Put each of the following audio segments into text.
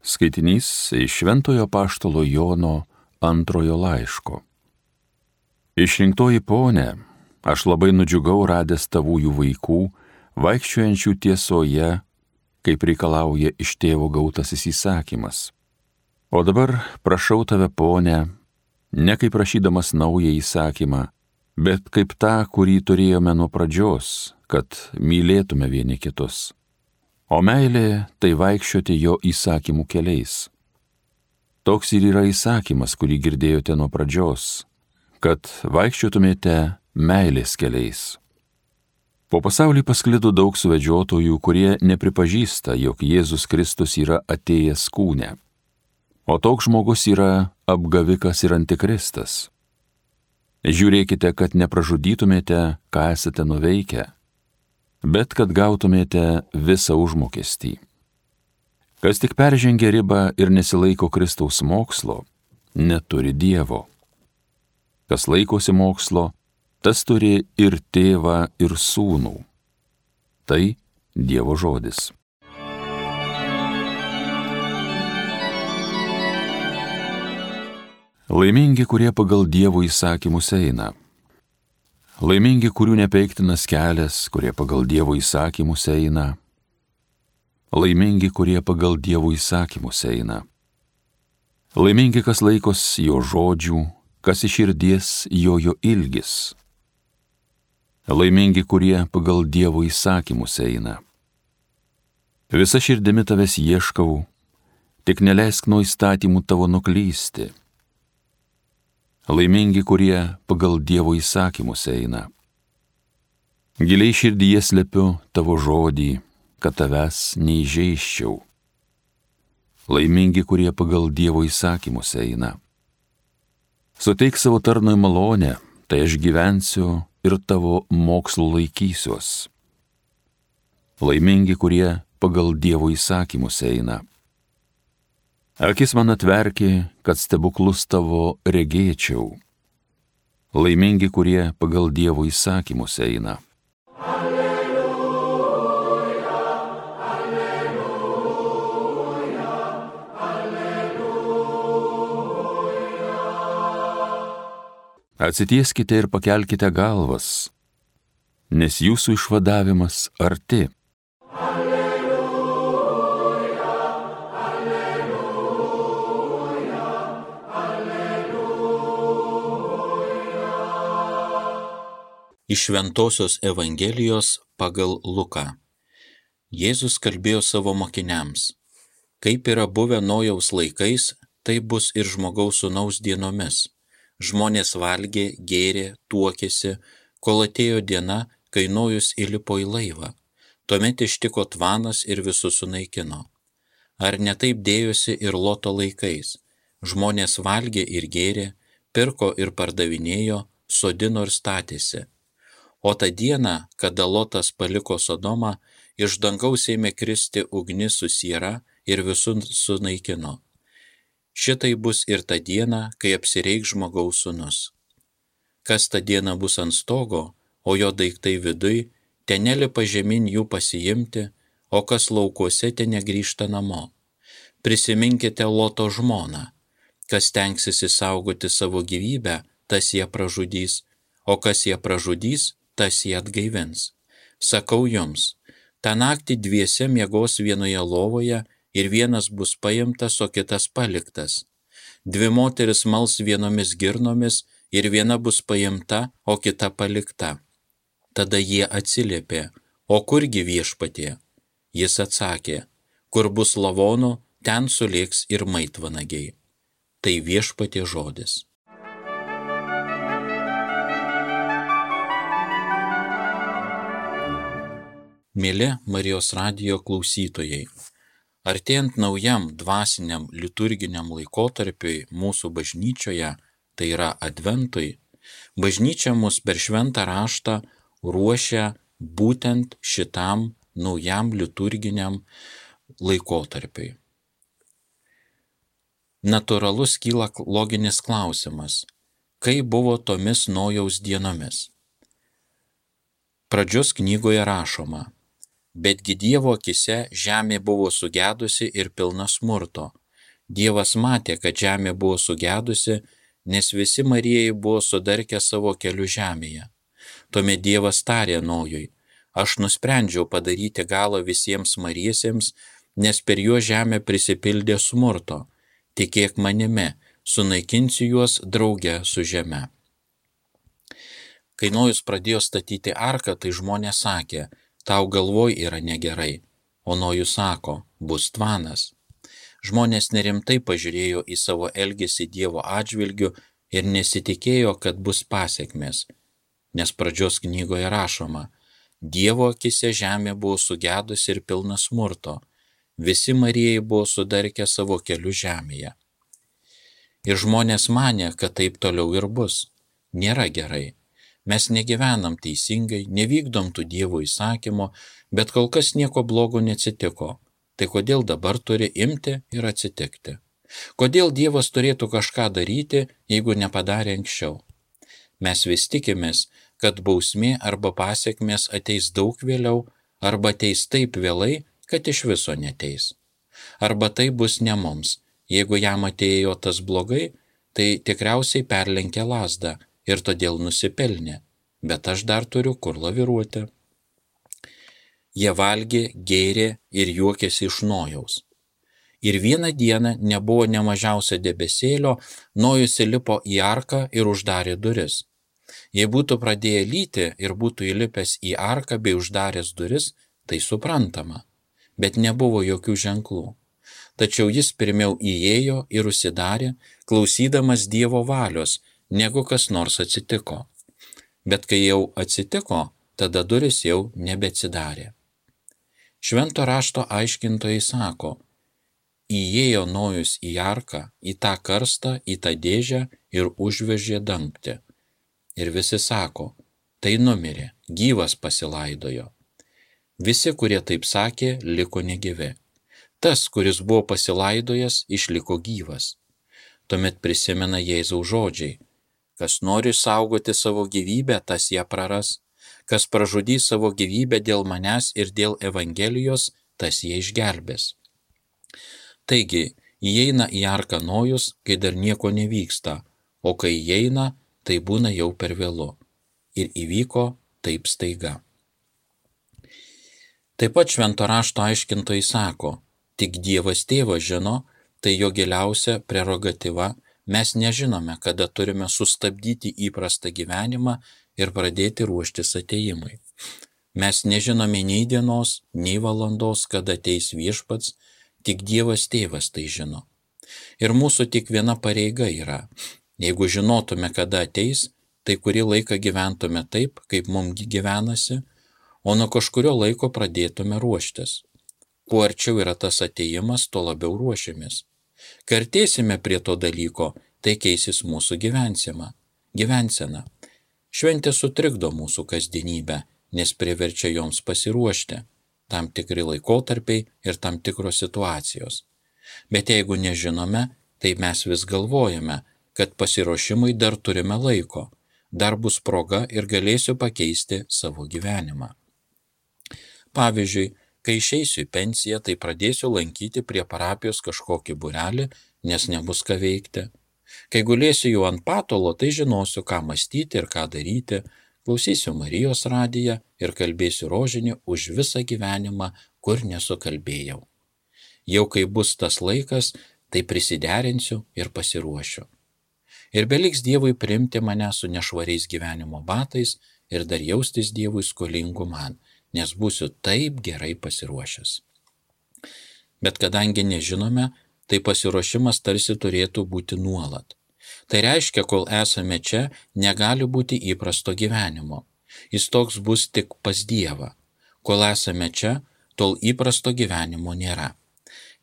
Skaitinys iš Šventojo Apaštalo Jono antrojo laiško. Išrinktoji ponė, aš labai nudžiugau radęs tavųjų vaikų, vaikščiojančių tiesoje, kaip reikalauja iš tėvo gautasis įsakymas. O dabar prašau tave, ponė, ne kaip prašydamas naują įsakymą, bet kaip tą, kurį turėjome nuo pradžios, kad mylėtume vieni kitus. O meilė tai vaikščioti jo įsakymų keliais. Toks ir yra įsakymas, kurį girdėjote nuo pradžios, kad vaikščiotumėte meilės keliais. Po pasaulį pasklido daug suvedžiotojų, kurie nepripažįsta, jog Jėzus Kristus yra atėjęs kūne. O toks žmogus yra apgavikas ir antikristas. Žiūrėkite, kad nepražudytumėte, ką esate nuveikę, bet kad gautumėte visą užmokestį. Kas tik peržengia ribą ir nesilaiko Kristaus mokslo, neturi Dievo. Kas laikosi mokslo, tas turi ir tėvą, ir sūnų. Tai Dievo žodis. Laimingi, kurie pagal Dievo įsakymus eina. Laimingi, kurių nepeiktinas kelias, kurie pagal Dievo įsakymus eina. Laimingi, kurie pagal Dievo įsakymus eina. Laimingi, kas laikos jo žodžių, kas iš širdies jo ilgis. Laimingi, kurie pagal Dievo įsakymus eina. Visa širdimi tavęs ieškau, tik neleisk nuo įstatymų tavo nuklysti. Laimingi, kurie pagal Dievo įsakymus eina. Giliai širdyje slepiu tavo žodį, kad tavęs neįžeisčiau. Laimingi, kurie pagal Dievo įsakymus eina. Suteik savo tarnui malonę, tai aš gyvensiu ir tavo mokslo laikysiuos. Laimingi, kurie pagal Dievo įsakymus eina. Akis man atverki, kad stebuklus tavo regėčiau. Laimingi, kurie pagal Dievo įsakymus eina. Alleluja, alleluja, alleluja. Atsitieskite ir pakelkite galvas, nes jūsų išvadavimas arti. Iš Šventosios Evangelijos pagal Luką. Jėzus kalbėjo savo mokiniams: kaip yra buvę Nojaus laikais, tai bus ir Žmogaus Sūnaus dienomis. Žmonės valgė, gėrė, tuokėsi, kol atėjo diena, kai Nojus įlipo į laivą. Tuomet ištiko tvanas ir visus sunaikino. Ar ne taip dėjosi ir Loto laikais? Žmonės valgė ir gėrė, pirko ir pardavinėjo, sodino ir statėsi. O tą dieną, kada Lotas paliko Sodomą, iš dangaus ėmė kristi ugnis su siera ir visus sunaikino. Šitai bus ir ta diena, kai apsireikš Žmogaus Sūnus. Kas tą dieną bus ant stogo, o jo daiktai viduj, ten nelipa žemyn jų pasiimti, o kas laukuose, ten negrįžta namo. Prisiminkite Loto žmoną. Kas stengsis išsaugoti savo gyvybę, tas ją pražudys, o kas ją pražudys, tas ją atgaivins. Sakau jums, tą naktį dviese miegos vienoje lovoje ir vienas bus paimtas, o kitas paliktas. Dvi moteris mals vienomis girnomis ir viena bus paimta, o kita palikta. Tada jie atsiliepė: o kurgi Viešpatie? Jis atsakė: kur bus lavonų, ten sulėks ir maitvanagiai. Tai Viešpatie žodis. Mėly Marijos radijo klausytojai, artėjant naujam dvasiniam liturginiam laikotarpiui mūsų bažnyčioje, tai yra Adventui, bažnyčia mus per šventą raštą ruošia būtent šitam naujam liturginiam laikotarpiui. Natūralus kyla loginis klausimas: kaip buvo tomis Nojaus dienomis? Pradžios knygoje rašoma: Betgi Dievo akise žemė buvo sugedusi ir pilna smurto. Dievas matė, kad žemė buvo sugedusi, nes visi Marijai buvo sudarkę savo keliu žemėje. Tuomet Dievas tarė Nojui: aš nusprendžiau padaryti galą visiems mariesiems, nes per juos žemė prisipildė smurto. Tikėk manimi, sunaikinsiu juos drauge su žeme. Kai Nojus pradėjo statyti arką, tai žmonės sakė: tau galvoj yra negerai. O Nojus sako: bus tvanas. Žmonės nerimtai pažiūrėjo į savo elgesį Dievo atžvilgiu ir nesitikėjo, kad bus pasekmės. Nes pradžios knygoje rašoma: Dievo akise žemė buvo sugedusi ir pilna smurto. Visi Marijai buvo sudarkę savo keliu žemėje. Ir žmonės manė, kad taip toliau ir bus. Nėra gerai. Mes negyvenam teisingai, nevykdom tų Dievo įsakymo, bet kol kas nieko blogo neatsitiko. Tai kodėl dabar turi imti ir atsitikti? Kodėl Dievas turėtų kažką daryti, jeigu nepadarė anksčiau? Mes vis tikimės, kad bausmė arba pasekmės ateis daug vėliau, arba ateis taip vėlai, kad iš viso neteis. Arba tai bus ne mums. Jeigu jam atėjo tas blogai, tai tikriausiai perlenkė lazdą ir todėl nusipelnė, bet aš dar turiu kur laviruoti. Jie valgė, gėrė ir juokėsi iš Nojaus. Ir vieną dieną nebuvo ne mažiausia debesėlio, Nojus įlipo į arką ir uždarė duris. Jei būtų pradėję lyti ir būtų įlipęs į arką bei uždaręs duris, tai suprantama, bet nebuvo jokių ženklų. Tačiau jis pirmiau įėjo ir užsidarė, klausydamas Dievo valios, negu kas nors atsitiko. Bet kai jau atsitiko, tada duris jau nebeatsidarė. Švento rašto aiškintojai sako: įėjo Nojus į arką, į tą karstą, į tą dėžę ir užvežė dangtį. Ir visi sako: tai numirė, gyvas pasilaidojo. Visi, kurie taip sakė, liko negyvi. Tas, kuris buvo pasilaidojęs, išliko gyvas. Tuomet prisimena Jėzaus žodžiai: kas nori saugoti savo gyvybę, tas ją praras. Kas pražudys savo gyvybę dėl manęs ir dėl Evangelijos, tas ją išgelbės. Taigi, įeina į arką Nojus, kai dar nieko nevyksta, o kai įeina, tai būna jau per vėlu. Ir įvyko taip staiga. Taip pat švento rašto aiškintojai sako: tik Dievas Tėvas žino, tai jo giliausia prerogatyva, mes nežinome, kada turime sustabdyti įprastą gyvenimą ir pradėti ruoštis atėjimui. Mes nežinome nei dienos, nei valandos, kada ateis Viešpats, tik Dievas Tėvas tai žino. Ir mūsų tik viena pareiga yra: jeigu žinotume, kada ateis, tai kurį laiką gyventume taip, kaip mums gyvenasi, o nuo kažkurio laiko pradėtume ruoštis. Kuo arčiau yra tas atėjimas, tuo labiau ruošiamės. Kai artėsime prie to dalyko, tai keisis mūsų gyvensena. Šventė sutrikdo mūsų kasdienybę, nes priverčia joms pasiruošti, tam tikri laikotarpiai ir tam tikros situacijos. Bet jeigu nežinome, tai mes vis galvojame, kad pasiruošimui dar turime laiko, dar bus proga ir galėsiu pakeisti savo gyvenimą. Pavyzdžiui, kai išeisiu į pensiją, tai pradėsiu lankyti prie parapijos kažkokį būrelį, nes nebus ką veikti. Kai gulėsiu jau ant patalo, tai žinosiu, ką mąstyti ir ką daryti, klausysiu Marijos radiją ir kalbėsiu rožinį už visą gyvenimą, kur nesukalbėjau. Jau kai bus tas laikas, tai prisiderinsiu ir pasiruošiu. Ir beliks Dievui priimti mane su nešvariais gyvenimo batais ir dar jaustis Dievui skolingu man, nes būsiu taip gerai pasiruošęs. Bet kadangi nežinome, tai pasiruošimas tarsi turėtų būti nuolat. Tai reiškia, kol esame čia, negali būti įprasto gyvenimo. Jis toks bus tik pas Dievą. Kol esame čia, tol įprasto gyvenimo nėra.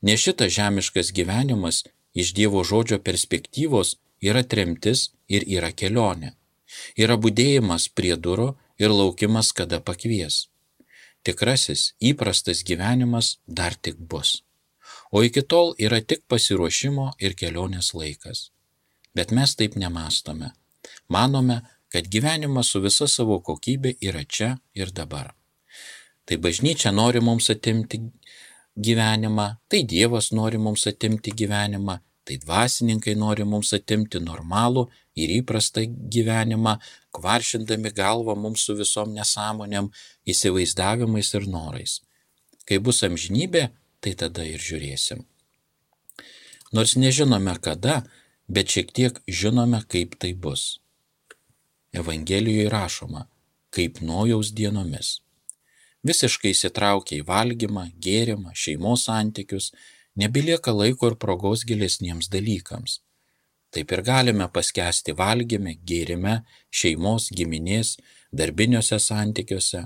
Nes šitas žemiškas gyvenimas iš Dievo žodžio perspektyvos yra tremtis ir yra kelionė. Yra budėjimas prie durų ir laukimas, kada pakvies. Tikrasis, įprastas gyvenimas dar tik bus. O iki tol yra tik pasiruošimo ir kelionės laikas. Bet mes taip nemastome. Manome, kad gyvenimas su visa savo kokybė yra čia ir dabar. Tai bažnyčia nori mums atimti gyvenimą, tai Dievas nori mums atimti gyvenimą, tai dvasininkai nori mums atimti normalų ir įprastą gyvenimą, kvaršindami galvą mums su visom nesąmonėm, įsivaizdavimais ir norais. Kai bus amžinybė, tai tada ir žiūrėsim. Nors nežinome kada, bet šiek tiek žinome, kaip tai bus. Evangelijoje rašoma, kaip Nojaus dienomis. Visiškai įsitraukia į valgymą, gėrimą, šeimos santykius, nebelieka laiko ir progos gilesniems dalykams. Taip ir galime paskęsti valgyme, gėrime, šeimos, giminės, darbiniuose santykiuose.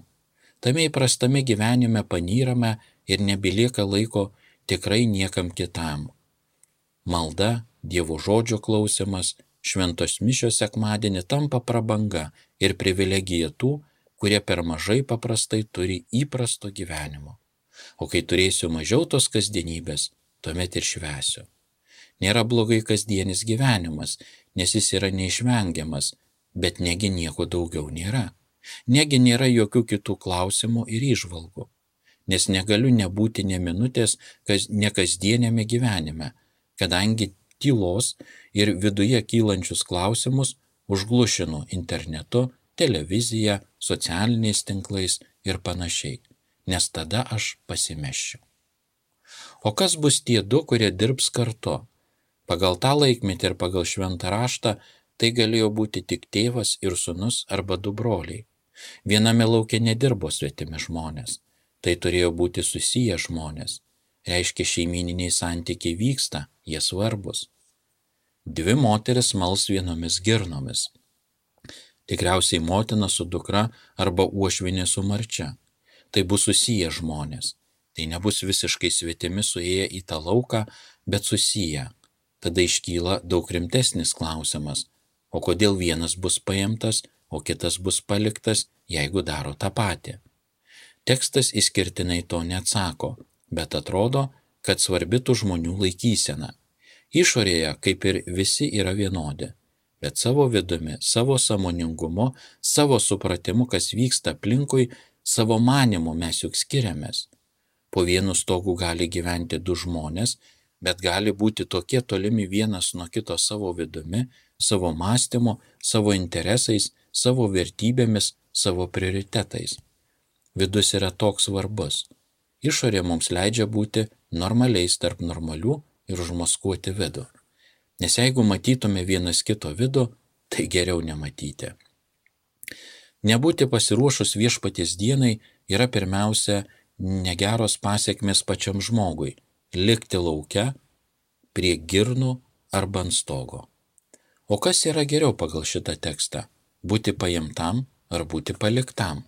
Tame įprastame gyvenime panyrame ir nebelieka laiko tikrai niekam kitam. Malda, Dievo žodžio klausimas, šventos mišios sekmadienį tampa prabanga ir privilegija tų, kurie per mažai paprastai turi įprasto gyvenimo. O kai turėsiu mažiau tos kasdienybės, tuomet ir švęsiu. Nėra blogai kasdienis gyvenimas, nes jis yra neišvengiamas, bet negi nieko daugiau nėra. Negi nėra jokių kitų klausimų ir įžvalgų, nes negaliu nebūti nė minutės nekasdienėme gyvenime, kadangi tylos ir viduje kylančius klausimus užglušinu internetu, televizija, socialiniais tinklais ir panašiai, nes tada aš pasimesčiau. O kas bus tie du, kurie dirbs kartu? Pagal tą laikmetį ir pagal šventą raštą tai galėjo būti tik tėvas ir sūnus arba du broliai. Viename lauke nedirbo svetimi žmonės, tai turėjo būti susiję žmonės. Reiškia, šeimyniniai santykiai vyksta, jie svarbus. Dvi moteris mals vienomis girnomis. Tikriausiai motina su dukra arba uošvinė su marčia. Tai bus susiję žmonės. Tai nebus visiškai svetimi suėję į tą lauką, bet susiję. Tada iškyla daug rimtesnis klausimas, o kodėl vienas bus paimtas, o kitas bus paliktas, jeigu daro tą patį. Tekstas išskirtinai to neatsako, bet atrodo, kad svarbi tų žmonių laikysena. Išorėje kaip ir visi yra vienodi, bet savo vidumi, savo sąmoningumu, savo supratimu, kas vyksta aplinkui, savo manimu mes juk skiriamės. Po vienu stogu gali gyventi du žmonės, bet gali būti tokie tolimi vienas nuo kito savo vidumi, savo mąstymu, savo interesais, savo vertybėmis, savo prioritetais. Vidus yra toks svarbus. Išorė mums leidžia būti normaliais tarp normalių ir užmaskuoti vidų. Nes jeigu matytume vienas kito vidų, tai geriau nematyti. Nebūti pasiruošus viešpaties dienai yra pirmiausia negeros pasiekmės pačiam žmogui – likti lauke, prie girnų arba ant stogo. O kas yra geriau pagal šitą tekstą – būti paimtam ar būti paliktam?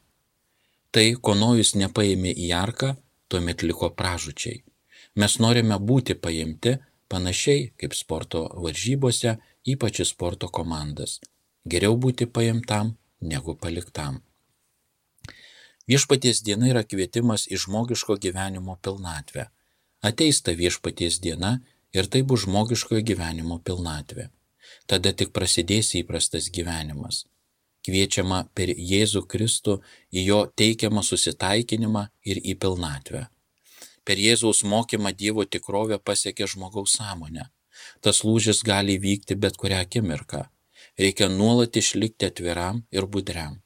Tai, ko Nojus nepaėmė į arką, tuomet liko pražūčiai. Mes norime būti paimti panašiai kaip sporto varžybose, ypač į sporto komandas. Geriau būti paimtam negu paliktam. Viešpaties diena yra kvietimas į žmogiško gyvenimo pilnatvę. Ateis ta viešpaties diena ir tai bus žmogiškojo gyvenimo pilnatvė. Tada tik prasidės įprastas gyvenimas. Kviečiama per Jėzų Kristų į jo teikiamą susitaikinimą ir į pilnatvę. Per Jėzaus mokymą Dievo tikrovė pasiekia žmogaus sąmonę. Tas lūžis gali įvykti bet kurią akimirką. Reikia nuolat išlikti atviram ir budriam.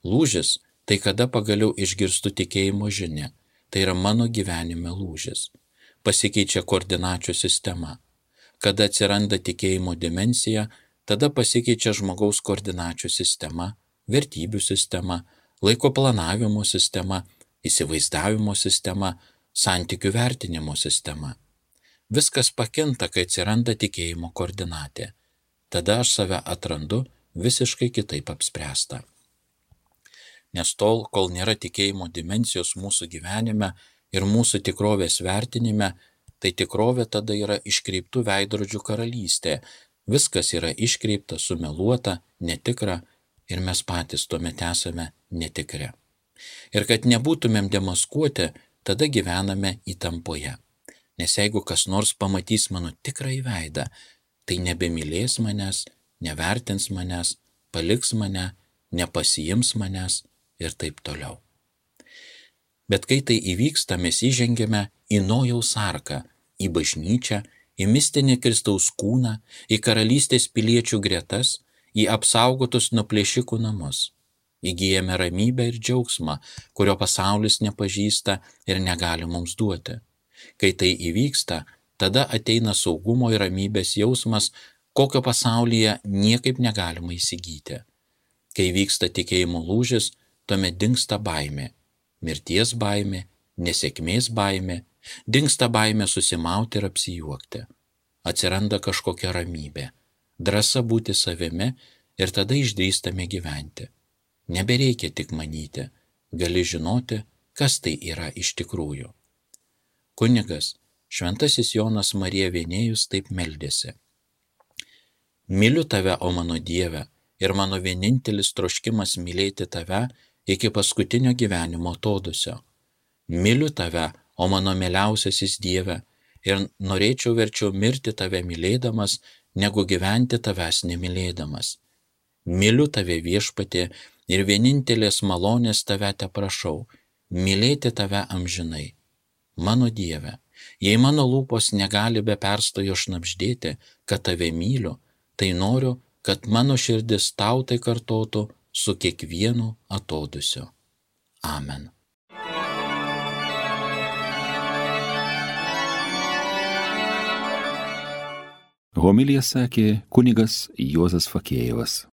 Lūžis – tai kada pagaliau išgirstu tikėjimo žinią. Tai yra mano gyvenime lūžis. Pasikeičia koordinačių sistema. Kada atsiranda tikėjimo dimensija, tada pasikeičia žmogaus koordinačių sistema, vertybių sistema, laiko planavimo sistema, įsivaizdavimo sistema, santykių vertinimo sistema. Viskas pakinta, kai atsiranda tikėjimo koordinatė. Tada aš save atrandu visiškai kitaip apspręstą. Nes tol, kol nėra tikėjimo dimensijos mūsų gyvenime ir mūsų tikrovės vertinime, tai tikrovė tada yra iškreiptų veidrodžių karalystė. Viskas yra iškreipta, sumeluota, netikra ir mes patys tuomet esame netikri. Ir kad nebūtumėm demaskuoti, tada gyvename įtampoje. Nes jeigu kas nors pamatys mano tikrąjį veidą, tai nebemylės manęs, nevertins manęs, paliks mane, nepasiims manęs ir taip toliau. Bet kai tai įvyksta, mes įžengiame į Nojaus arką, į bažnyčią, į mistinį Kristaus kūną, į karalystės piliečių gretas, į apsaugotus nuo plėšikų namus. Įgyjame ramybę ir džiaugsmą, kurio pasaulis nepažįsta ir negali mums duoti. Kai tai įvyksta, tada ateina saugumo ir ramybės jausmas, kokio pasaulyje niekaip negalima įsigyti. Kai vyksta tikėjimo lūžis, tuomet dingsta baimė. Mirties baimė, nesėkmės baimė, dingsta baimė susimauti ir apsijuokti. Atsiranda kažkokia ramybė, drąsa būti savimi ir tada išdrįstame gyventi. Nebereikia tik manyti, gali žinoti, kas tai yra iš tikrųjų. Kunigas Šventasis Jonas Marija Vienėjus taip meldėsi. Myliu tave, o mano Dieve, ir mano vienintelis troškimas mylėti tave iki paskutinio gyvenimo atodūsio. Myliu tave, o mano mieliausiasis Dieve, ir norėčiau verčiau mirti tave mylėdamas, negu gyventi tavęs nemylėdamas. Myliu tave, Viešpatie, ir vienintelės malonės tave teprašau, mylėti tave amžinai. Mano Dieve, jei mano lūpos negali be perstojo šnabždėti, kad tave myliu, tai noriu, kad mano širdis tau tai kartotų su kiekvienu atodūsiu. Amen. Homiliją sakė kunigas Juozas Fakėjevas.